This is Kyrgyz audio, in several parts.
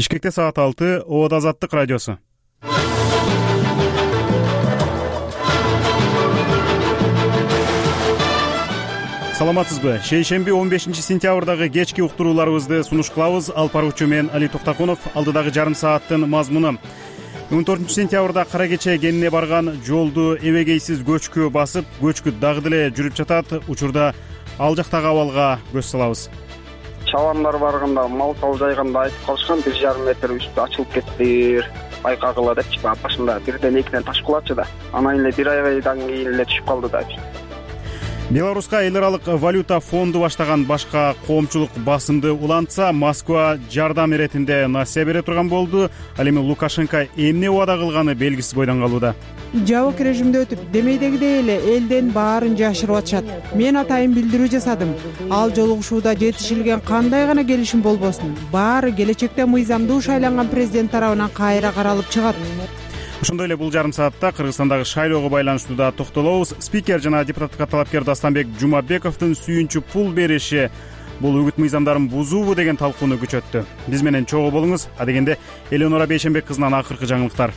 Бишкекте саат 6, Обод Азаттык радиосу. Саламатсызбы? Шейшемби 15-сентябрдагы кечки уктурууларыбызды сунуш кылабыз. Алып баруучу мен Али Токтакунов. Алдыдагы жарым сааттын мазмуну. 14-сентябрда Кара Кече кенине барган жолду эбегейсиз көчкү басып, көчкү дагы деле жүрүп жатат. Учурда ал жактагы абалга көз салабыз. Чабандар барганда, мал жайганда айтып калышкан 1,5 метр үстү ачылып кетти, байкагыла депчи. Башында бирден экиден таш кулачы да. Анан эле бир айдан кийин эле түшүп калды да. Беларуска эл аралык валюта фонду баштаган башка коомчулук басымды улантса, Москва жардам иретинде насыя бере турган болду. Ал эми Лукашенко эмне убада кылганы белгисиз бойдон калууда. Жабык режимде өтүп, демейдегидей эле элден баарын жашырып атышат. Мен атайын билдирүү жасадым. Ал жолугушууда жетишилген кандай гана келишим болбосун, баары келечекте мыйзамдуу шайланган президент тарабынан кайра каралып чыгат. Ошондой эле бул жарым саатта Кыргызстандагы шайлоого байланыштуу да токтолобуз. Спикер жана депутаттыкка талапкер Дастанбек Жумабековдун сүйүнчү пул бериши бул үгүт мыйзамдарын бузуубу деген талкууну күчөттү. Биз менен чогуу болуңуз. Адегенде Элеонора Бейшенбек кызынан акыркы жаңылыктар.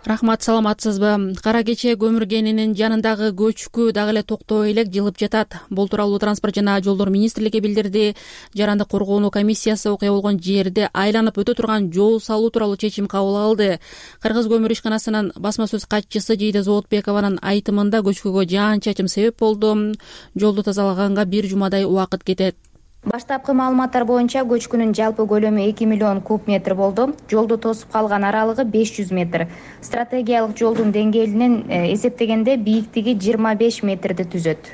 Рахмат, саламатсызбы? Кара Кече көмүр кенинин жанындагы көчкү дагы эле токтой элек жылып жатат. Бул тууралуу Транспорт жана жолдор министрлиги билдирди. Жарандык коргоонуу комиссиясы окуя болгон жерде айланып өтө турган жол салуу тууралуу чечим кабыл алды. Кыргыз көмүр ишканасынын басма сөз катчысы Жийде Зоотбекованын айтымында көчкүгө жаан-чачым себеп болду. Жолду тазалаганга 1 жумадай убакыт кетет. Баштапкы маалыматтар боюнча көчкүнүн жалпы көлөмү 2 миллион куб метр болду. Жолду тосуп калган аралыгы 500 метр. Стратегиялык жолдун деңгээлинен эсептегенде бийиктиги 25 метрди түзөт.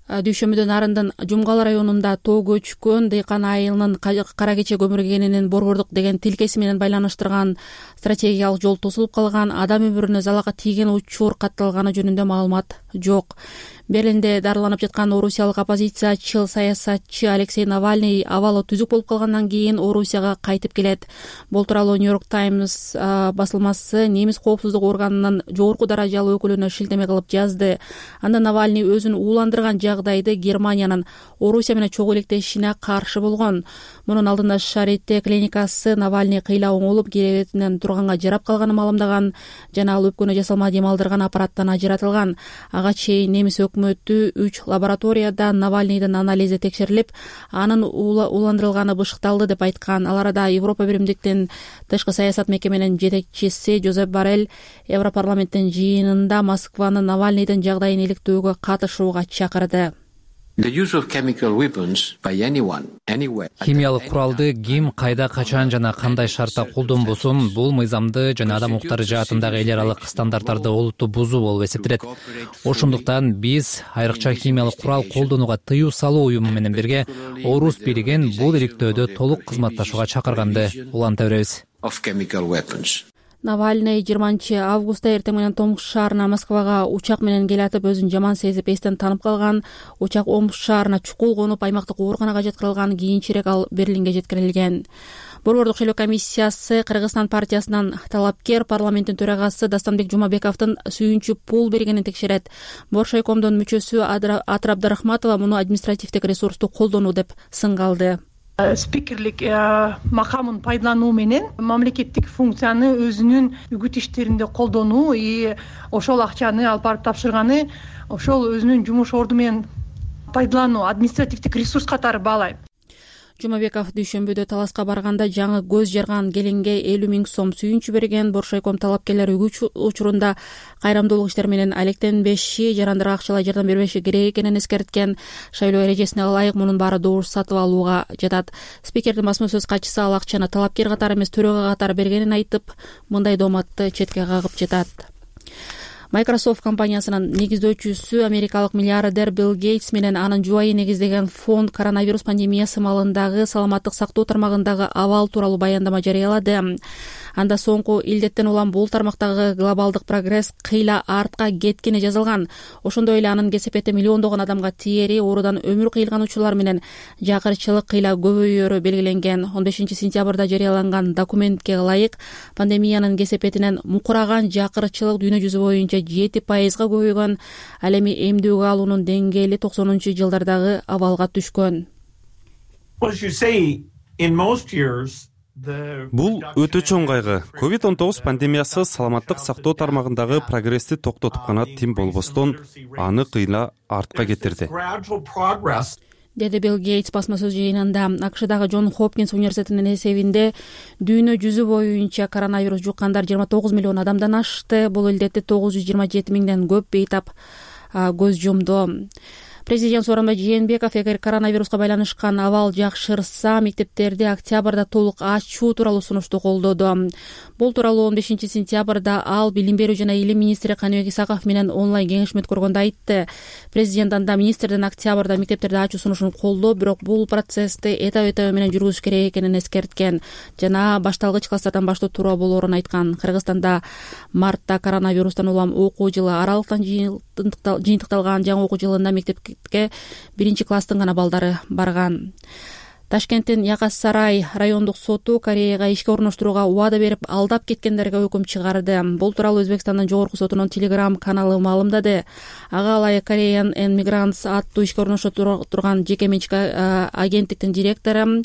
Дүйшөмбүдөн Арындын Жумгал районунда тоо көчкөн дыйкан айылынын Кара Кече көмүр кенинин борбордук деген тилкеси менен байланыштырган стратегиялык жол тосулуп калган, адам өмүрүнө залалга тийген учур катталганы жөнүндө маалымат жок. Берлинде дарыланып жаткан орусиялык оппозициячыл саясатчы Алексей Навальный абалы түзүк болуп калгандан кийин Орусияга кайтып келет. Бул тууралуу Нью-Йорк Таймс басылмасы немис коопсуздук органынын жогорку даражалуу өкүлүнө шилтеме кылып жазды. Анда Навальный өзүн ууландырган жагдайды Германиянын Орусия менен чогуу иликтешине каршы болгон. Мунун алдында Шарите клиникасы Навальный кыйла оңолуп керебетинен турганга жарап калганын маалымдаган жана ал өпкөнү жасалма дем алдырган аппараттан ажыратылган. Ага чейин немис өкмөтү 3 лабораторияда Навальныйдын анализи текшерилип, анын ууландырылганы бышыкталды деп айткан. Ал арада Европа биримдиктин тышкы саясат мекеменин жетекчиси Жозеп Боррель Европарламенттин жыйынында Москваны Навальныйдын жагдайын иликтөөгө катышууга чакырды. Химиялык куралды ким, кайда, качан жана кандай шартта колдонбосун, бул мыйзамды жана адам укуктары жаатындагы эл аралык стандарттарды олуттуу бузуу болуп эсептелет. Ошондуктан биз айрыкча химиялык курал колдонууга тыюу салуу уюму менен бирге Орус бийлигин бул иликтөөдө толук кызматташууга чакырганды уланта беребиз. Навальный 20-августта эртең менен Томск шаарына Москвага учак менен келатып, өзүн жаман сезип эстен танып калган. Учак Омск шаарына чукул конуп, аймактык ооруканага жеткирилган. Кийинчерээк ал Берлинге жеткирилген. Борбордук шайлоо комиссиясы Кыргызстан партиясынан талапкер парламенттин төрагасы Дастанбек Жумабековдун сүйүнчү пул бергенин текшерет. Боршайкомдун мүчөсү Атыр Абдрахматова муну административдик ресурсту колдонуу деп сынга алды. Спикерлик макамын пайдалануу менен мамлекеттик функцияны өзүнүн үгүт иштеринде колдонуу, ошол акчаны алып барып тапшырганы ошол өзүнүн жумуш орду менен пайдалануу, административдик ресурс катары баалайм. Жумабеков дүйшөмбүдө таласка барганда жаңы көз жарган келинге 50 000 сом сүйүнчү берген. Боршайком талапкерлер үгүт учурунда кайрамдуулук иштер менен алектенбеши, жарандырга акчалай жардам бербеши керек экенин эскерткен. Шайлоо эрежесине ылайык мунун баары добуш сатып алууга жатат. Спикердин басма сөз катчысы ал акчаны талапкер катары эмес, төрөгө катары бергенин айтып, мындай дооматты четке кагып жатат. Microsoft компаниясынын негиздөөчүсү америкалык миллиардер Билл Гейтс менен анын жубайы негиздеген фонд коронавирус пандемиясы маалындагы саламаттык сактоо тармагындагы абал тууралуу баяндама жарыялады. Анда соңку илдеттен улам бул тармактагы глобалдык прогресс кыйла артка кеткени жазылган. Ошондой эле анын кесепети миллиондогон адамга тиери, оорудан өмүр кыйылган учурлар менен жакырчылык кыйла көбөйөөрү белгиленген. 15-сентябрда жарыяланган документке ылайык пандемиянын кесепетинен мукураган жакырчылык дүйнө жүзү боюнча 7%-га көбөйгөн. Ал эми эмдүүгө алуунун деңгээли 90-жылдардагы абалга түшкөн. Бул өтө чоң кайгы. COVID-19 пандемиясы саламаттык сактоо тармагындагы прогрессти токтотуп гана тим болбостон аны кыйла артка кетирди, деди Билл Гейтс басма сөз жыйынында. АКШдагы Джон Хопкинс университетинин эсебинде дүйнө жүзү боюнча коронавирус жуккандар 29 миллион адамдан ашты. Бул илдетти 927 миңден көп бейтап көз жумду. Президент Сооронбай Жээнбеков эгер коронавируска байланышкан абал жакшырса, мектептерди октябрда толук ачуу тууралуу сунушту колдоду. Бул тууралуу 15 сентябрда ал Билим берүү жана илим министри Каныбек Исаков менен онлайн кеңешме өткөргөндө айтты. Президент анда министрдин октябрда мектептерди ачуу сунушун колдоо, бирок бул процессти этап менен жүргүзүш керек экенин эскерткен жана башталгыч класстардан баштоо туура болоорун айткан. Кыргызстанда мартта коронавирустан улам окуу жылы аралыктан жыйынтыкталган. Жаңы окуу жылында мектепке 1-класстын гана балдары барган. Ташкенттин Якас Сарай райондук соту Кореяга ишке орноштурууга убада берип алдап кеткендерге өкүм чыгарды. Бул тууралуу Өзбекстандын жогорку сотунун Telegram каналы маалымдады. Ага ылайык Korean Migrants аттуу ишке орношо турган жеке менчик агенттиктин директору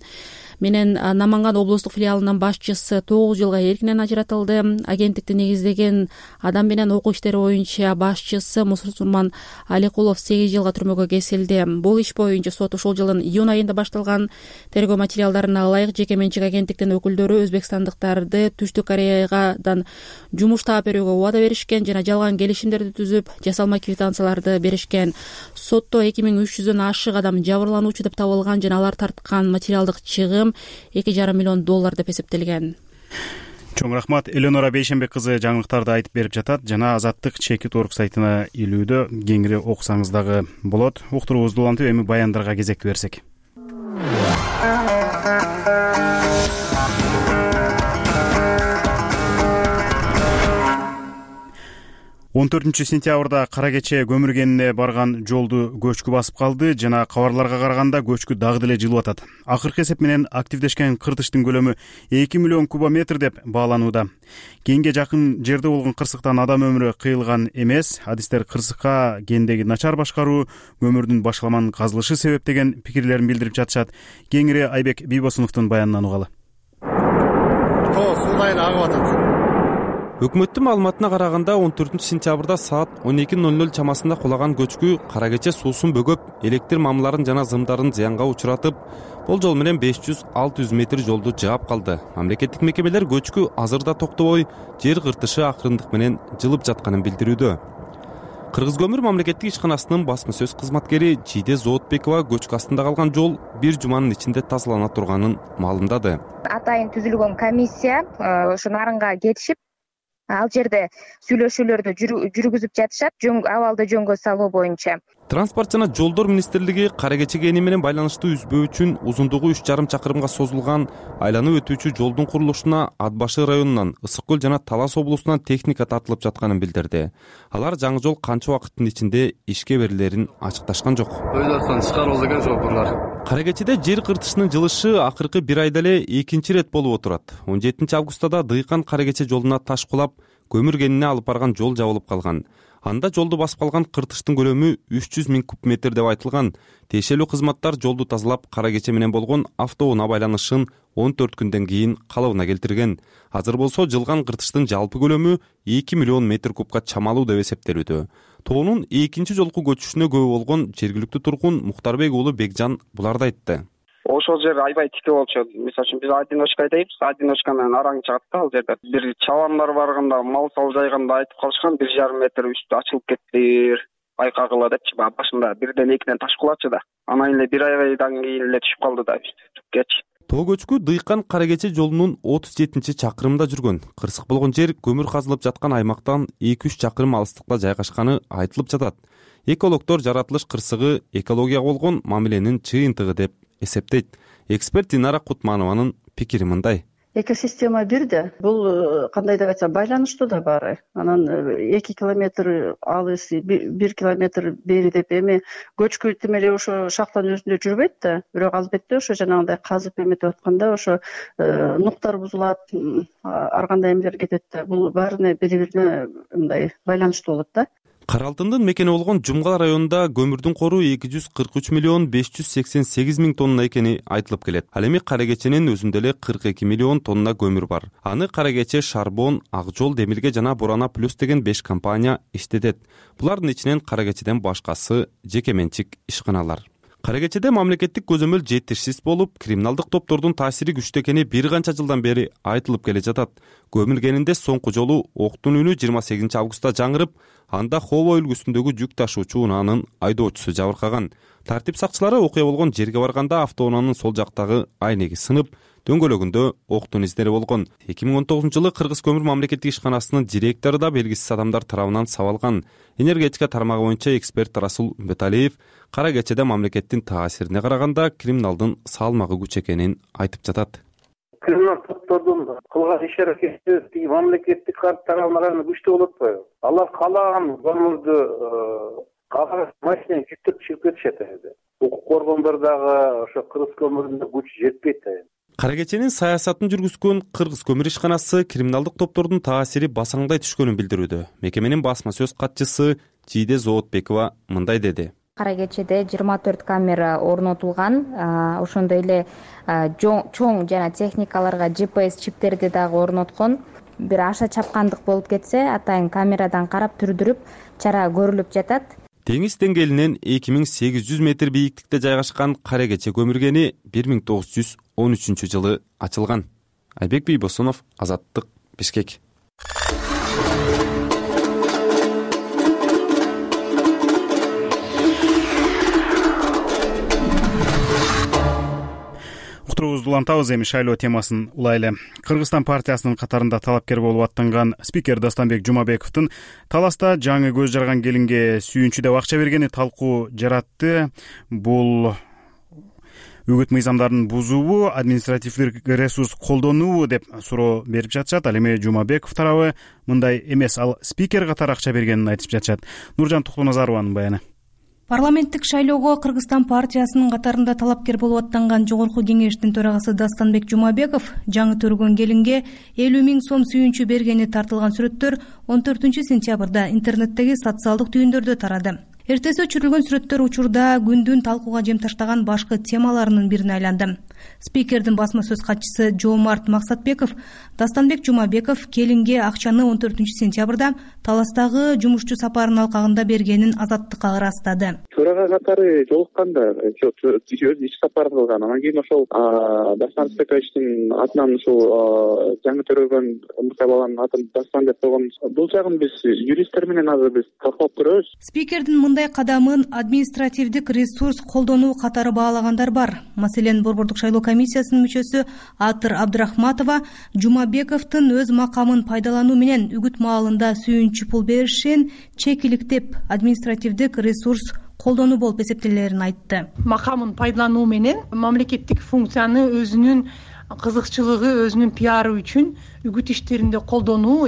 менен Наманган облустук филиалынын башчысы 9 жылга эркинен ажыратылды. Агенттикти негиздеген адам менен окуу иштери боюнча башчысы Мусулман Аликулов 8 жылга түрмөгө кесилди. Бул иш боюнча сот ушул жылдын июнь айында башталган. Тергөө материалдарына ылайык жеке менчик агенттиктин өкүлдөрү өзбекстандыктарды Түштүк Кореядан жумуш таап берүүгө убада беришкен жана жалган келишимдерди түзүп, жасалма квитанцияларды беришкен. Сотто 2300дөн ашык адам жабырлануучу деп табылган жана алар тарткан материалдык чыгым $2,5 миллион деп эсептелген. Чоң рахмат. Эленора Бейшенбек кызы жаңылыктарды айтып берип жатат жана Азаттык Чекит.org сайтына илүүдө, кеңири окусаңыз дагы болот. Уктуруубузду улантып эми баяндарга кезекти берсек. 14 сентябрда кара кече көмүргенине барган жолду көчкү басып калды жана кабарларга караганда көчкү дагы деле жылып атат. Акыркы эсеп менен активдешкен кыртыштын көлөмү 2 миллион кубометр деп бааланууда. Кенге жакын жерде болгон кырсыктан адам өмүрү кыйылган эмес. Адистер кырсыкка кендеги начар башкаруу, көмүрдүн башаламан казылышы себеп деген пикирлерин билдирип жатышат. Кеңири Айбек Бийбосуновдун баянынан угалы. Агып атат. Өкмөттүн маалыматына караганда 14 сентябрда саат 12:00 чамасында кулаган көчкү кара кече суусун бөгөп, электр мамларын жана зымдарын зыянга учуратып, бул жол менен 500-600 метр жолду жаап калды. Мамлекеттик мекемелер көчкү азырда токтобой жер кыртышы акырындык менен жылып жатканын билдирүүдө. Кыргыз көмүр мамлекеттик ишканасынын басма сөз кызматкери Жиде Зоотбекова көчкү астында калган жол бир жуманын ичинде тазалана турганын маалымдады. Атайын түзүлгөн комиссия ошо нарынга кетишип, ал жерде сүйлөшүүлөрдү жүргүзүп жатышат, абалды жөнгө салуу боюнча. Транспорт жана жолдор министрлиги кара кече кени менен байланыштуу үзбөө үчүн узундугу 3,5 чакырымга созулган айланып өтүүчү жолдун курулушуна Ат башы районунан, Ысык көл жана Талас облусунан техника тартылып жатканын билдирди. Алар жаңы жол канча убакыттын ичинде ишке берилерин ачыкташкан жок. Өйдөртөн чыгаруу деген жокурлар. Кара кечеде жер кыртышынын жылышы акыркы бир айда эле экинчи рет болуп отурат. 17 августта да Дыйкан кара кече жолуна таш кулап, көмүр кенине алып барган жол жабылып калган. Анда жолду басып калган кыртыштын көлөмү 300 000 куб метр деп айтылган. Тиешелүү кызматтар жолду тазалап, кара кече менен болгон автоунаа байланышын 14 күндөн кийин калыбына келтирген. Азыр болсо жылган кыртыштын жалпы көлөмү 2 миллион метр кубка чамалуу деп эсептелүүдө. Тоонун экинчи жолку көчүшүнө күбө болгон жергиликтүү тургун Мухтарбек уулу Бекжан буларды айтты. Ошол жер аябай тике болчу. Мисалы үчүн биз одиночка айтайбыз, одиночка менен араң чыгат да ал жерде. Бир чабандар барганда, мал сал жайганда айтып калышкан 1,5 метр үстү ачылып кетти. Байкагыла депчи, башында бирден экиден таш кулачы да. Анан эле бир айдан кийин эле түшүп калды да үстү. Тоо көчкү Дыйкан кара кече жолунун 37-чакырымда жүргөн. Кырсык болгон жер көмүр казылып жаткан аймактан 2-3 чакырым алыстыкта жайгашканы айтылып жатат. Экологдор жаратылыш кырсыгы экологияга болгон мамиленин чыйынтыгы деп эсептейт. Эксперт Динара Кутманованын пикири мындай. Экосистема бирде. Бул кандай деп айтсам, байланыштуу да баары. Анан 2 километр алыс, 1 километр бери деп эми көчкү тим эле ошо шахтанын өзүндө жүрбөйт да. Бирок албетте ошо жанагындай казып эметип атканда ошо нуктар бузулат, ар кандай эмелер кетет да. Бул баарына бири-бирине мындай байланыштуу болот да. Кара Алтындын мекени болгон Жумгал районунда көмүрдүн кору 243 миллион 588 миң тонна экени айтылып келет. Ал эми Кара Кеченин өзүндө эле 42 миллион тонна көмүр бар. Аны Кара Кече, Шарбон, Ак Жол, Демилге жана Бурана Плюс деген 5 компания иштетет. Булардын ичинен Кара Кечеден башкасы жеке менчик ишканалар. Кара Кечеде мамлекеттик көзөмөл жетишсиз болуп, криминалдык топтордун таасири күчтүү экени бир канча жылдан бери айтылып келе жатат. Көмүлгенинде соңку жолу октун үнү 28 августта жаңырып, анда Хово үлгүсүндөгү жүк ташуучу унаанын айдоочусу жабыркаган. Тартип сакчылары окуя болгон жерге барганда автоунаанын сол жактагы айнеги сынып, дөңгөлөгүндө октун издери болгон. 2019 Кыргыз көмүр мамлекеттик ишканасынын директору да белгисиз адамдар тарабынан сабалган. Энергетика тармагы боюнча эксперт Расул Үмбеталиев Кара Кечеде мамлекеттин таасирине караганда криминалдын салмагы күч экенин айтып жатат. Криминалдык топтордун кылган иш-аракети мамлекеттик тарабынан күчтүү болуп атпайбы? Алар каалаган көмүрдү машинени жүктөп чыгып кетишет эди. Укук коргондор дагы ошо Кыргыз көмүрүнө күч жетпейт. Кара Кеченин саясатын жүргүзгөн Кыргыз көмүр ишканасы криминалдык топтордун таасири басаңдай түшкөнүн билдирүүдө. Мекеменин басма сөз катчысы Жийде Зоотбекова мындай деди. Кара Кечеде 24 камера орнотулган, ошондой эле чоң жана техникаларга GPS чиптерди дагы орноткон. Бир аша чапкандык болуп кетсе, атайын камерадан карап түрдүрүп, чара көрүлүп жатат. Деңиз деңгээлинен 2800 метр бийиктикте жайгашкан Кара Кече көмүргени 1913 жылы ачылган. Айбек Бийбосунов, Азаттык, Бишкек. Уктуруубузду улантабыз, эми шайлоо темасын улайлы. Кыргызстан партиясынын катарында талапкер болуп аттанган спикер Дастанбек Жумабековдун таласта жаңы көз жарган келинге сүйүнчү деп акча бергени талкуу жаратты. Бул үгүт мыйзамдарын бузуубу, административдик ресурс колдонуубу деп суроо берип жатышат. Ал эми Жумабеков тарабы мындай эмес, ал спикер катары акча бергенин айтып жатышат. Нуржан Туктуназарованын баяны. Парламенттик шайлоого Кыргызстан партиясынын катарында талапкер болуп аттанган Жогорку кеңештин төрагасы Дастанбек Жумабеков жаңы төргөн келинге 50 000 сом сүйүнчү бергени тартылган сүрөттөр 14 сентябрда интернеттеги социалдык түйүндөрдө тарады. Эртеси өчүрүлгөн сүрөттөр учурда күндүн талкууга жем таштаган башкы темаларынын бирине айланды. Спикердин басма сөз катчысы Жоомарт Максатбеков Дастанбек Жумабеков келинге акчаны 14 сентябрда таластагы жумушчу сапарынын алкагында бергенин Азаттыкка ырастады. Төрага катары жолукканда өз иш сапарын кылган. Анан кийин ошол Дастанбек Спековичтин атынан ушул жаңы төрөгөн мукабаланын атын Дастан деп койгон. Бул жагын биз юристтер менен азыр биз талкуулап көрөбүз. Спикердин мындай кадамын административдик ресурс колдонуу катары баалагандар бар. Маселен, Борбордук шайлоо комиссиясынын мүчөсү Атыр Абдрахматова Жумабековдун өз макамын пайдалануу менен үгүт маалында сүйүнчү пул беришин чекиликтеп административдик ресурс колдонуу болуп эсептелерин айтты. Макамын пайдалануу менен мамлекеттик функцияны өзүнүн кызыкчылыгы, өзүнүн пиары үчүн үгүт иштеринде колдонуу,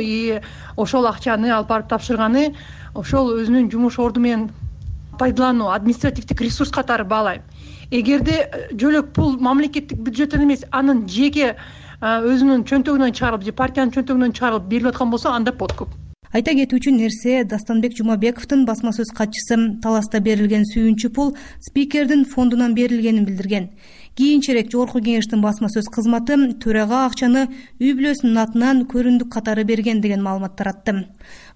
ошол акчаны алып барып тапшырганы ошол өзүнүн жумуш орду менен пайдалануу, административдик ресурс катары баалайм. Эгерде жөлөк пул мамлекеттик бюджеттен эмес, анын жеке өзүнүн чөнтөгүнөн чыгарылып же партиянын чөнтөгүнөн чыгарылып берилип аткан болсо, анда подкуп. Айта кетүүчү нерсе, Дастанбек Жумабековдун басма сөз катчысы таласта берилген сүйүнчү пул спикердин фондунан берилгенин билдирген. Кийинчерээк Жогорку кеңештин басма сөз кызматы төрага акчаны үй бүлөсүнүн атынан көрүндүк катары берген деген маалымат таратты.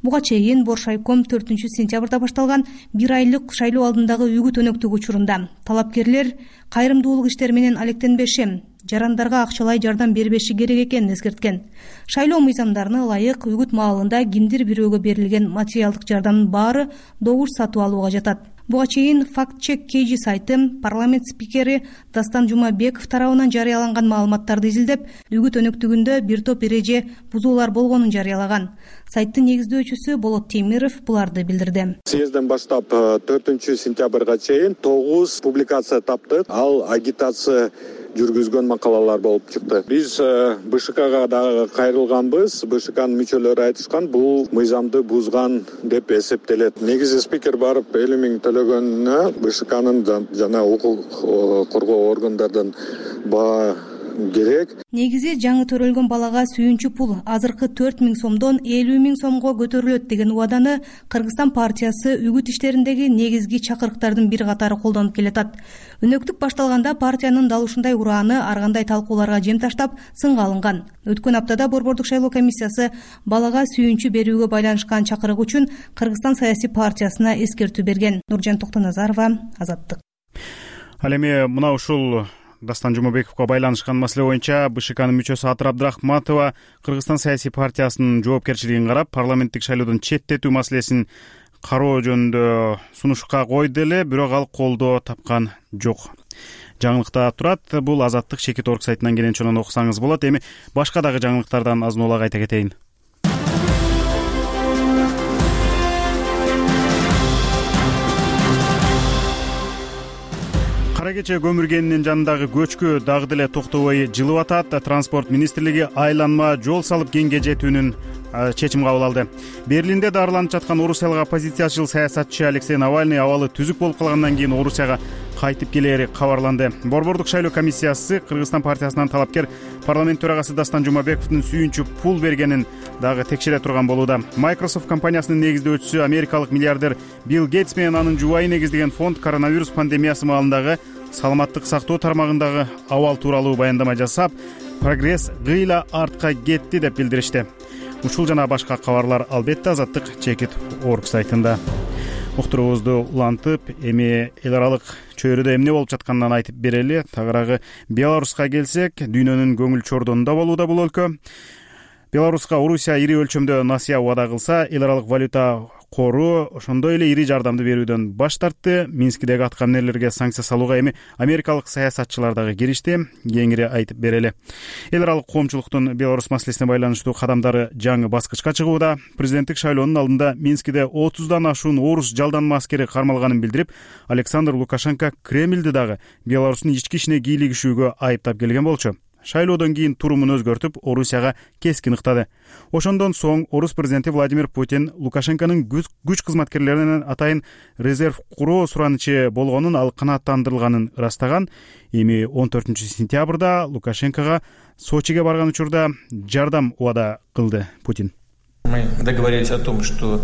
Буга чейин Боршайком 4 сентябрда башталган 1 айлык шайлоо алдындагы үгүт өнөктүк учурунда талапкерлер кайрымдуулук иштери менен алектенбеши, жарандарга акчалай жардам бербеши керек экенин эскерткен. Шайлоо мыйзамдарына ылайык үгүт маалында кимдир бирөөгө берилген материалдык жардамдын баары добуш сатып алууга жатат. Буга чейин факт-чек KG сайты парламент спикери Дастан Жумабеков тарабынан жарыяланган маалыматтарды изилдеп, үгүт өнөктүгүндө бир топ эреже бузуулар болгонун жарыялаган. Сайттын негиздөөчүсү Болот Темиров буларды билдирди. Съезден баштап 4 сентябрга чейин 9 публикация таптык. Ал агитация жүргүзгөн макалалар болуп чыкты. Биз БШКга дагы кайрылганбыз. БШКнын мүчөлөрү айтышкан, бул мыйзамды бузган деп эсептелет. Негизи спикер барып 50 000 төлөгөнүнө БШКнын жана укук коргоо органдардын керек. Негизи жаңы төрөлгөн балага сүйүнчү пул азыркы 4000 сомдон 50 000 сомго көтөрүлөт деген убаданы Кыргызстан партиясы үгүт иштериндеги негизги чакырыктардын бир катары колдонуп келатат. Өнөктүк башталганда партиянын дал ушундай урааны ар кандай талкууларга жем таштап сынга алынган. Өткөн аптада Борбордук шайлоо комиссиясы балага сүйүнчү берүүгө байланышкан чакырык үчүн Кыргызстан саясий партиясына эскертүү берген. Нуржан Токтоназарова, Азаттык. Ал эми мына ушул Дастан Жумабековго байланышкан маселе боюнча БШКнын мүчөсү Атыр Абдрахматова Кыргызстан саясий партиясынын жоопкерчилигин карап, парламенттик шайлоодон четтетүү маселесин кароо жөнүндө сунушка койду эле, бирок ал колдоо тапкан жок. Жаңылыкта турат. Бул Азаттык Чекит.орг сайтынан кенен окусаңыз болот. Эми башка дагы жаңылыктардан азын-улак айта кетейин. Кара кече көмүргенинин жанындагы көчкү дагы деле токтобой жылып атат. Транспорт министрлиги айланма жол салып кеңге жетүүнүн чечим кабыл алды. Берлинде дарыланып жаткан Орусиялык оппозициячыл саясатчы Алексей Навальный абалы түзүк болуп калгандан кийин Орусияга кайтып келери кабарланды. Борбордук шайлоо комиссиясы Кыргызстан партиясынан талапкер парламент төрагасы Дастан Жумабековдун сүйүнчү пул бергенин дагы текшере турган болууда. Microsoft компаниясынын негиздөөчүсү америкалык миллиардер Билл Гейтс менен анын жубайы негиздеген фонд коронавирус пандемиясы маалындагы саламаттык сактоо тармагындагы абал тууралуу баяндама жасап, прогресс гыйла артка кетти деп билдиришти. Ушул жана башка кабарлар албетте Азаттык Чекит.орг сайтында. Уктуруубузду улантып, эми эл аралык чөйрөдө эмне болуп жатканынан айтып берели. Тагыраагы Беларуска келсек, дүйнөнүн көңүл чордонунда болууда бул өлкө. Беларуска Орусия ири өлчөмдө насыя убада кылса, эл аралык валюта кору ошондой эле ири жардамды берүүдөн баш тартты. Минскидеги аткаминерлерге санкция салууга эми америкалык саясатчылар дагы киришти. Кеңири айтып берели. Эл аралык коомчулуктун Беларусь маселесине байланыштуу кадамдары жаңы баскычка чыгууда. Президенттик шайлоонун алдында Минскиде 30дан ашуун орус жалданма аскери кармалганын билдирип, Александр Лукашенко Кремльди дагы Беларустун ички ишине кийлигишүүгө айыптап келген болчу. Шайлоодон кийин турумун өзгөртүп, Орусияга кескин ыктады. Ошондон соң орус президенти Владимир Путин Лукашенконун күч кызматкерлеринен атайын резерв куруу суранычы болгонун, ал канааттандырылганын ырастаган. Эми 14-сентябрда Лукашенкого Сочиге барган учурда жардам убада кылды Путин. Мы договорились о том, что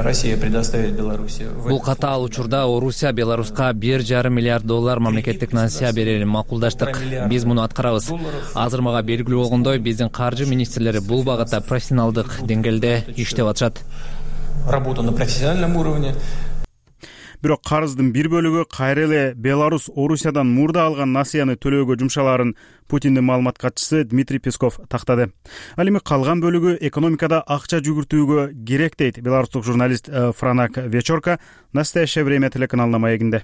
Россия предоставит Беларуси. Бул катаал учурда Орусия Беларуска $1,5 миллиард мамлекеттик насыя берерин макулдаштык. Биз муну аткарабыз. Азыр мага белгилүү болгондой, биздин каржы министрлери бул багытта профессионалдык деңгээлде иштеп атышат. Работа на профессиональном уровне. Бирок карыздын бир бөлүгү кайра эле Беларусь Орусиядан мурда алган насыяны төлөөгө жумшалаарын Путиндин маалымат катчысы Дмитрий Песков тактады. Ал эми калган бөлүгү экономикада акча жүгүртүүгө керек дейт беларустук журналист Франак Вечорка «Настоящее время» телеканалына маегинде.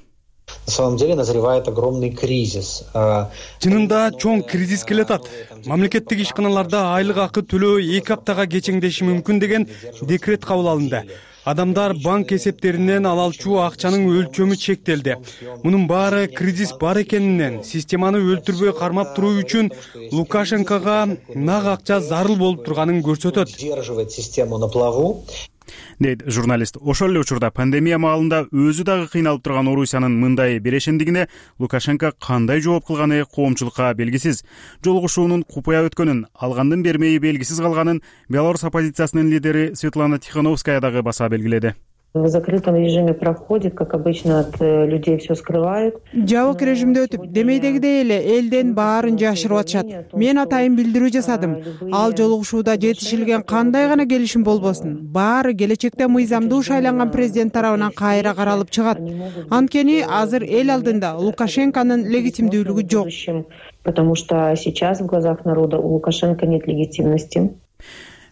На самом деле назревает огромный кризис. Чынында чоң кризис келатат. Мамлекеттик ишканаларда айлык акы төлөө 2 аптага кечеңдеши мүмкүн деген декрет кабыл алынды. Адамдар банк эсептеринен ала алчу акчанын өлчөмү чектелди. Мунун баары кризис бар экенинен, системаны өлтүрбөй кармап туруу үчүн Лукашенкого нак акча зарыл болуп турганын көрсөтөт. Удерживает систему на плаву. Дейт журналист. Ошол эле учурда пандемия маалында өзү дагы кыйналып турган Орусиянын мындай берешендигине Лукашенко кандай жооп кылганы коомчулукка белгисиз. Жолугушуунун купуя өткөнүн, алгандын бермеyi белгисиз калганын Беларусь оппозициясынын лидери Светлана Тихановская дагы баса белгиледи. В закрытом режиме проходит, как обычно, от людей все скрывают. Жабык режимде өтүп, демейдегидей эле элден баарын жашырып атышат. Мен атайын билдирүү жасадым. Ал жолугушууда жетишилген кандай гана келишим болбосун, баары келечекте мыйзамдуу шайланган президент тарабынан кайра каралып чыгат. Анткени азыр эл алдында Лукашенконун легитимдүүлүгү жок. Потому что сейчас в глазах народа у Лукашенко нет легитимности.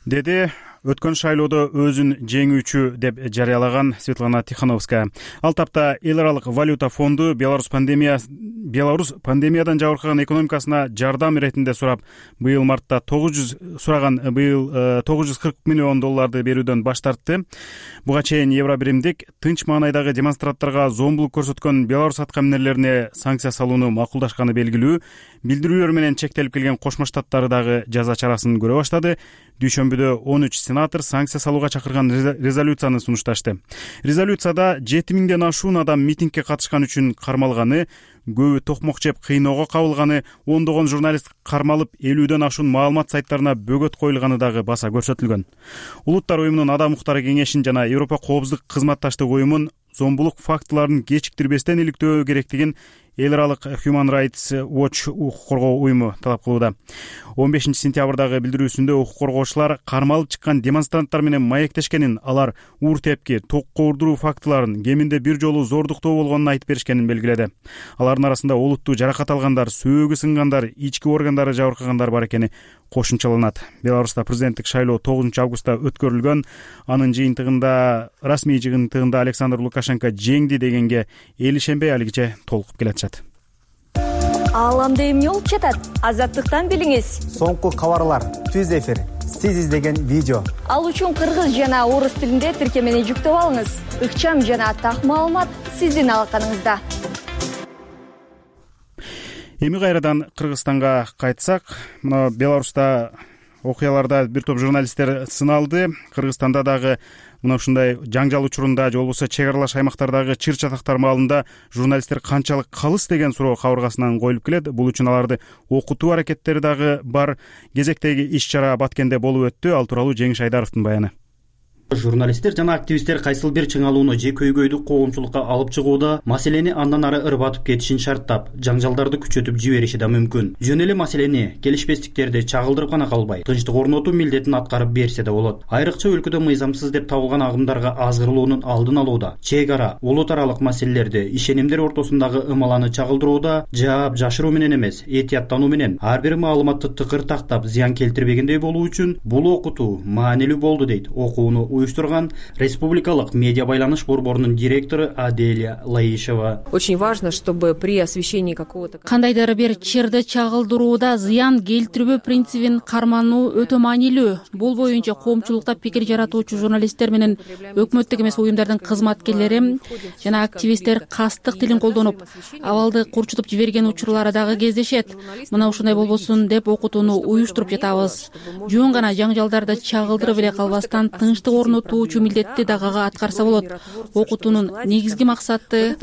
Деди өткөн шайлоодо өзүн жеңүүчү деп жарыялаган Светлана Тихановская. Ал тапта эл аралык валюта фонду Беларусь пандемиядан жабыркаган экономикасына жардам иретинде сурап, быйыл мартта $940 миллион берүүдөн баш тартты. Буга чейин Евробиримдик тынч маанайдагы демонстранттарга зомбулук көрсөткөн Беларусь аткаминерлерине санкция салууну макулдашканы белгилүү. билдирүүлөр менен чектелип келген Кошмо Штаттар дагы жаза чарасын көрө баштады. Дүйшөмбүдө 13 сенатор санкция салууга чакырган резолюцияны сунушташты. Резолюцияда 7000ден ашуун адам митингге катышкан үчүн кармалганы, көбү токмок жеп кыйноого кабылганы, ондогон журналист кармалып, 50ден ашуун маалымат сайттарына бөгөт коюлганы дагы баса көрсөтүлгөн. Улуттар уюмунун Адам укуктары кеңешин жана Европа коопсуздук кызматташтык уюмун зомбулук фактыларын кечиктирбестен иликтөө керектигин эл аралык Human Rights Watch укук коргоо уюму талап кылууда. 15 сентябрдагы билдирүүсүндө укук коргоочулар кармалып чыккан демонстранттар менен маектешкенин, алар уур тепки, ток коордуруу фактыларын, кеминде бир жолу зордуктоо болгонун айтып беришкенин белгиледи. Алардын арасында олуттуу жаракат алгандар, сөөгү сынгандар, ички органдары жабыркагандар бар экени кошумчаланат. Беларуста президенттик шайлоо 9 августта өткөрүлгөн. Анын жыйынтыгында, расмий жыйынтыгында Александр Лукашенко жеңди дегенге эл ишенбей алигиче толкуп келатышат. Ааламда эмне болуп жатат? Азаттыктан билиңиз. Соңку кабарлар, түз эфир, сиз издеген видео. Ал үчүн кыргыз жана орус тилинде тиркемени жүктөп алыңыз. Ыкчам жана так маалымат сиздин алаканыңызда. Эми кайрадан Кыргызстанга кайтсак, мына Беларуста окуяларда бир топ журналисттер сыналды. Кыргызстанда дагы мына ушундай жаңжал учурунда же болбосо чек аралаш аймактардагы чыр чатактар маалында журналисттер канчалык калыс деген суроо кабыргасынан коюлуп келет. Бул үчүн аларды окутуу аракеттери дагы бар. Кезектеги иш-чара Баткенде болуп өттү. Ал тууралуу Жеңиш Айдаровдун баяны. Журналисттер жана активисттер кайсыл бир чыңалууну же көйгөйдү коомчулукка алып чыгууда маселени андан ары ырбатып кетишин шарттап, жаңжалдарды күчөтүп жибериши да мүмкүн. Жөн эле маселени, келишпестиктерди чагылдырып гана калбай, тынчтык орнотуу милдетин аткарып берсе да болот. Айрыкча өлкөдө мыйзамсыз деп табылган агымдарга азгырылуунун алдын алууда, чек ара, улут аралык маселелерди, ишенимдер ортосундагы ымаланы чагылдырууда жаап жашыруу менен эмес, этияттануу менен ар бир маалыматты тыкыр тактап зыян келтирбегендей болуу үчүн бул окутуу маанилүү болду дейт окууну уюштурган Республикалык медиа байланыш борборунун директору Аделия Лаишева. Очень важно, чтобы при освещении какого-то кандайдыр бир чырды чагылдырууда зыян келтирбөө принцибин кармануу өтө маанилүү. Бул боюнча коомчулукта пикир жаратуучу журналисттер менен өкмөттүк эмес уюмдардын кызматкерлери жана активисттер кастык тилин колдонуп, абалды курчутуп жиберген учурлары дагы кездешет. Мына ушундай болбосун деп окутууну уюштуруп жатабыз. Жөн гана жаңжалдарды чагылдырып эле калбастан тынчтык орнотуучу милдетти дагы аткарса болот. Окутуунун негизги максаты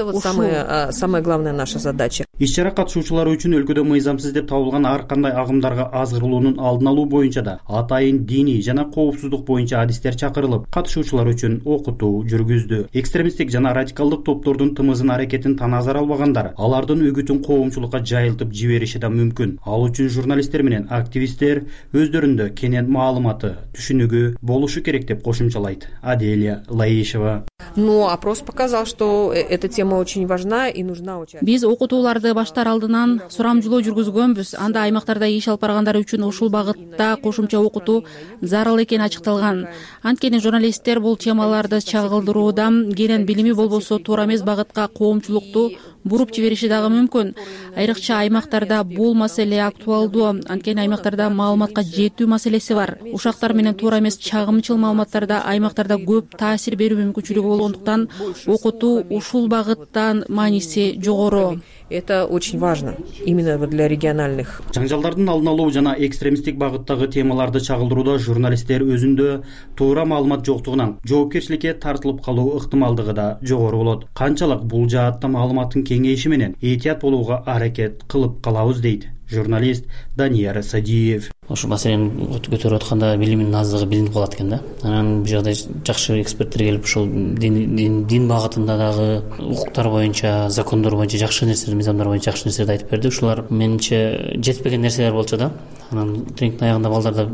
самая главная наша задача. Иш-чара катышуучулары үчүн өлкөдө мыйзамсыз деп табылган ар кандай агымдарга азгырылуунун алдын алуу боюнча да атайын диний жана коопсуздук боюнча адистер чакырылып, катышуучулар үчүн окутуу жүргүздү. Экстремисттик жана радикалдык топтордун тымызын аракетин таназар албагандар алардын үгүтүн коомчулукка жайылтып жибериши да мүмкүн. Ал үчүн журналисттер менен активисттер өздөрүндө кенен маалыматы, түшүнүгү болушу керек деп кошумчалайт Аделия Лаишева. Но опрос показал, что эта тема очень важна и нужна участие. Биз окутууларды баштар алдынан сурамжылоо жүргүзгөнбүз. Анда аймактарда иш алып баргандар үчүн ушул багытта кошумча окутуу зарыл экени ачыкталган. Анткени журналисттер бул темаларды чагылдырууда кенен билими болбосо туура эмес багытка коомчулукту буруп жибериши дагы мүмкүн. Айрыкча аймактарда бул маселе актуалдуу. Анткени аймактарда маалыматка жетүү маселеси бар. Ушактар менен туура эмес чагымчыл маалыматтарда аймактарда көп таасир берүү мүмкүнчүлүгү болгондуктан окутуу ушул багыттан мааниси жогору. Это очень важно именно для региональных. Жаңжалдардын алдын алуу жана экстремисттик багыттагы темаларды чагылдырууда журналисттер өзүндө туура маалымат жоктугунан жоопкерчиликке тартылып калуу ыктымалдыгы да жогору болот. Канчалык бул жаатта маалыматтын кеңейиши менен этият болууга аракет кылып калабыз дейт журналист Данияр Садиев. Ошол маселени көтөрүп атканда билимдин аздыгы билинип калат экен да. Анан бул жакта жакшы эксперттер келип ушул дин багытында дагы укуктар боюнча, закондор боюнча жакшы нерселер, мыйзамдар боюнча жакшы нерселерди айтып берди. Ушулар менимче жетпеген нерселер болчу да. Анан тренингдин аягында балдарда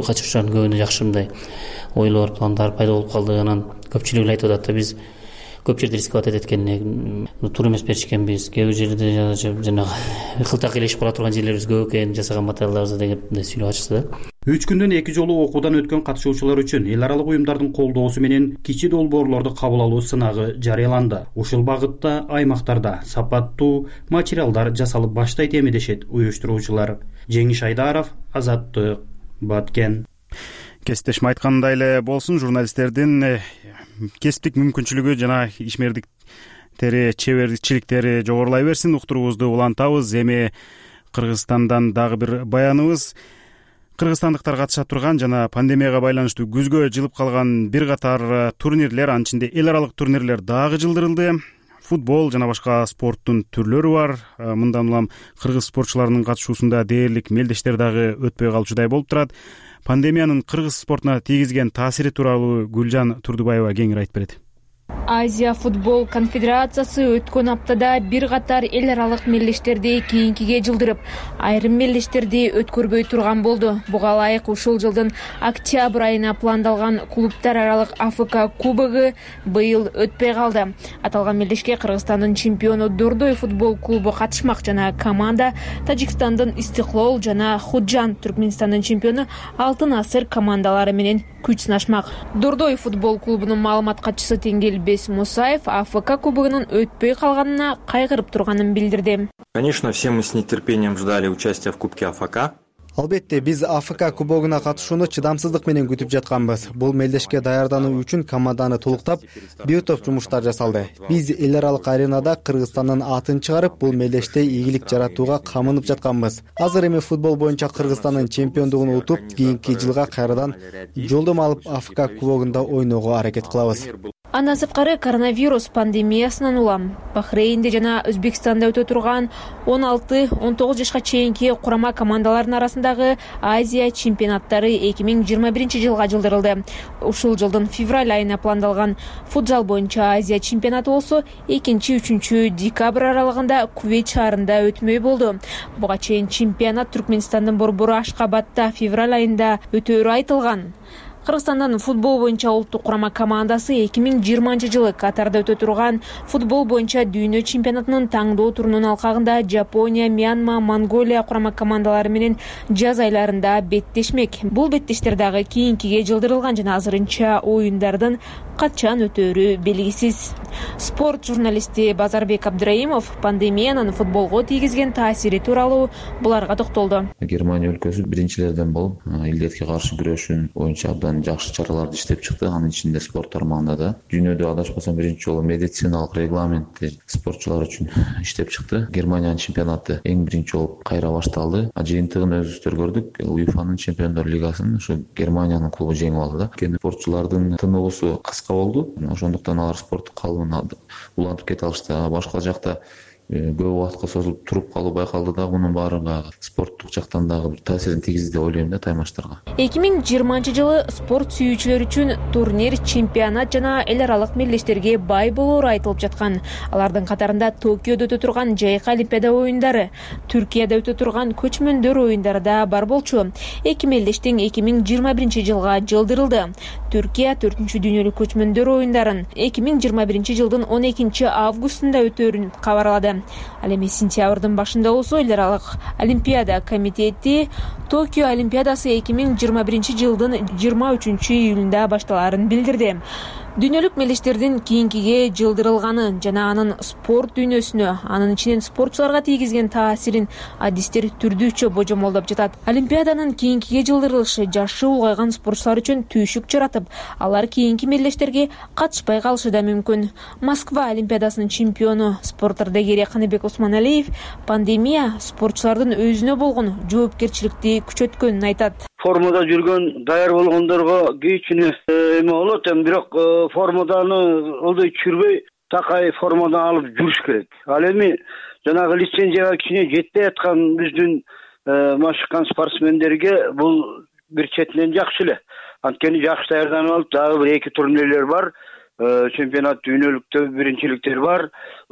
катышуучулардын көбүнө жакшы мындай ойлор, пландар пайда болуп калды. Анан көпчүлүгү эле айтып атат да, биз көп жерде рисковать этет экен, туура эмес беришкенбиз, кээ бир жерде жанагы кылтак элешип кала турган жерлерибиз көп экен, жасаган материалдарыбызды деп сүйлөп ачышты да. 3 күндөн 2 жолу окуудан өткөн катышуучулар үчүн эл аралык уюмдардын колдоосу менен кичи долбоорлорду кабыл алуу сынагы жарыяланды. Ушул багытта аймактарда сапаттуу материалдар жасалып баштайт эми дешет уюштуруучулар. Жеңиш Айдаров, Азаттык, Баткен. Кесиптешим айткандай эле болсун, журналисттердин кесиптик мүмкүнчүлүгү жана ишмердиктери, чеберчиликтери жогорулай берсин. Уктуруубузду улантабыз. Эми Кыргызстандан дагы бир баяныбыз. Кыргызстандыктар катыша турган жана пандемияга байланыштуу күзгө жылып калган бир катар турнирлер, анын ичинде эл аралык турнирлер дагы жылдырылды. Футбол жана башка спорттун түрлөрү бар. Мындан улам кыргыз спортчуларынын катышуусунда дээрлик мелдештер дагы өтпөй калчудай болуп турат. Пандемиянын кыргыз спортуна тийгизген таасири тууралуу Гүлжан Турдубаева кеңири айтып берет. Азия футбол конфедерациясы өткөн аптада бир катар эл аралык мелдештерди кийинкиге жылдырып, айрым мелдештерди өткөрбөй турган болду. Буга ылайык ушул жылдын октябрь айына пландалган клубтар аралык АФК кубогу быйыл өтпөй калды. Аталган мелдешке Кыргызстандын чемпиону Дордой футбол клубу катышмак жана команда Тажикстандын Истиклол жана Худжан Түркмөнстандын чемпиону Алтын Асыр командалары менен күч сынашмак. Дордой футбол клубунун маалымат катчысы Тенгелбек Мусаев АФК кубогунун өтпөй калганына кайгырып турганын билдирди. Конечно, все мы с нетерпением ждали участия в Кубке АФК. Албетте, биз АФК кубогуна катышууну чыдамсыздык менен күтүп жатканбыз. Бул мелдешке даярдануу үчүн команданы толуктап, бир топ жумуштар жасалды. Биз эл аралык аренада Кыргызстандын атын чыгарып, бул мелдеште ийгилик жаратууга камынып жатканбыз. Азыр эми футбол боюнча Кыргызстандын чемпиондугун утуп, кийинки жылга кайрадан жолдома алып АФК кубогунда ойноого аракет кылабыз. Андан сырткары коронавирус пандемиясынан улам Бахрейнде жана Өзбекстанда өтө турган 16-19 жашка чейинки курама командалардын арасындагы Азия чемпионаттары 2021 жылга жылдырылды. Ушул жылдын февраль айына пландалган футзал боюнча Азия чемпионаты болсо 2-3 декабрь аралыгында Кувейт шаарында өтмөй болду. Буга чейин чемпионат Түркмөнстандын борбору Ашкабадта февраль айында өтөөрү айтылган. Кыргызстандын футбол боюнча улуттук курама командасы 2020 жылы Катарда өтө турган футбол боюнча дүйнө чемпионатынын таңдоо турунун алкагында Жапония, Мьянма, Монголия курама командалары менен жаз айларында беттешмек. Бул беттештер дагы кийинкиге жылдырылган жана азырынча оюндардын качан өтөөрү белгисиз. Спорт журналисти Базарбек Абдраимов пандемиянын футболго тийгизген таасири тууралуу буларга токтолду. Германия өлкөсү биринчилерден болуп, илдетке каршы күрөшүү боюнча абдан жакшы чараларды иштеп чыкты. Анын ичинде спорт тармагында да дүйнөдө адашпасам биринчи жолу медициналык регламентти спортчулар үчүн иштеп чыкты. Германиянын чемпионаты эң биринчи болуп кайра башталды. Жыйынтыгын өзүбүздөр көрдүк. УЕФАнын чемпиондор лигасын ушу Германиянын клубу жеңип алды да. Кene спортчулардын тыныгуусу кыска болду. Ошондуктан алар спорттук калыбын улантып кете алышты. Башка жакта көп убакытка созулуп туруп калуу байкалды да, мунун баары спорттук жактан дагы бир таасирин тийгизди деп ойлойм да таймаштарга. 2020 жылы спорт сүйүүчүлөр үчүн турнир, чемпионат жана эл аралык мелдештерге бай болоору айтылып жаткан. Алардын катарында Токиодо өтө турган жайкы олимпиада оюндары, Түркияда өтө турган көчмөндөр оюндары да бар болчу. Эки мелдештин 2021 жылга жылдырылды. Түркия 4-чү дүйнөлүк көчмөндөр оюндарын 2021 жылдын 12 августунда өтөөрүн кабарлады. Ал эми сентябрдын башында болсо эл аралык олимпиада комитети Токио олимпиадасы 2021 жылдын 23 июлунда башталаарын билдирди. Дүйнөлүк мелдештердин кийинкиге жылдырылганы жана анын спорт дүйнөсүнө, анын ичинен спортчуларга тийгизген таасирин адистер түрдүүчө божомолдоп жатат. Олимпиаданын кийинкиге жылдырылышы жашы улгайган спортчулар үчүн түйшүк жаратып, алар кийинки мелдештерге катышпай калышы да мүмкүн. Москва олимпиадасынын чемпиону спорт ардагери Каныбек Усманалиев пандемия спортчулардын өзүнө болгон жоопкерчиликти күчөткөнүн айтат. Формада жүргөн, даяр болгондорго кийүүчүнү эме болот, бирок формаданы олдой чүрбөй такай формадан алып жүрүш керек. Ал эми жанагы лицензияга кичине жетпей аткан биздин машыккан спортсмендерге бул бир четинен жакшы эле. Анткени жакшы даярданып алып, дагы бир 2 турнирлер бар. Чемпионат дүйнөлүктө биринчиликтер бар.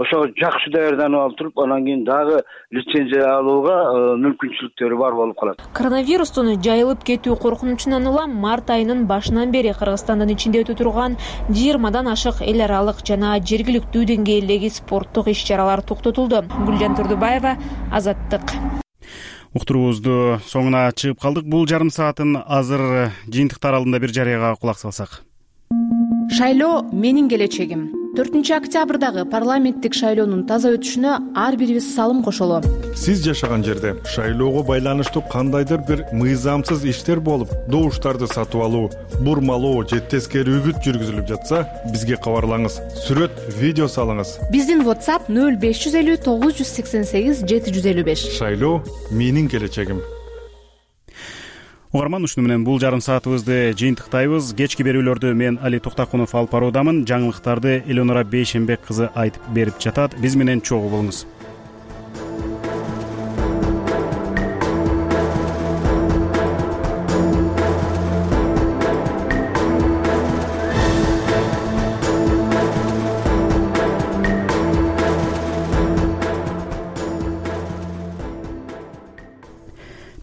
Ошого жакшы даярданып алып туруп, анан кийин дагы лицензия алууга мүмкүнчүлүктөрү бар болуп калат. Коронавирустун жайылып кетүү коркунучунан улам март айынын башынан бери Кыргызстандын ичинде өтө турган 20дан ашык эл аралык жана жергиликтүү деңгээлдеги спорттук иш-чаралар токтотулду. Гүлжан Турдубаева, Азаттык. Уктуруубузду соңуна чыгып калдык. Бул жарым саатын азыр жыйынтыктар алдында бир жарыяга кулак салсак. Шайлоо менин келечегим. 4-октябрдагы парламенттик шайлоонун таза өтүшүнө ар бирибиз салым кошолу. Сиз жашаган жерде шайлоого байланыштуу кандайдыр бир мыйзамсыз иштер болуп, добуштарды сатып алуу, бурмалоо же тескери үгүт жүргүзүлүп жатса, бизге кабарлаңыз. Сүрөт, видео салыңыз. Биздин WhatsApp 0550 988 755. Шайлоо менин келечегим. Угарман, ушуну менен бул жарым саатыбызды жыйынтыктайбыз. Кечки берүүлөрдү мен Али Токтакунов алып баруудамын. Жаңылыктарды Элеонора Бейшенбек кызы айтып берип жатат. Биз менен чогуу болуңуз.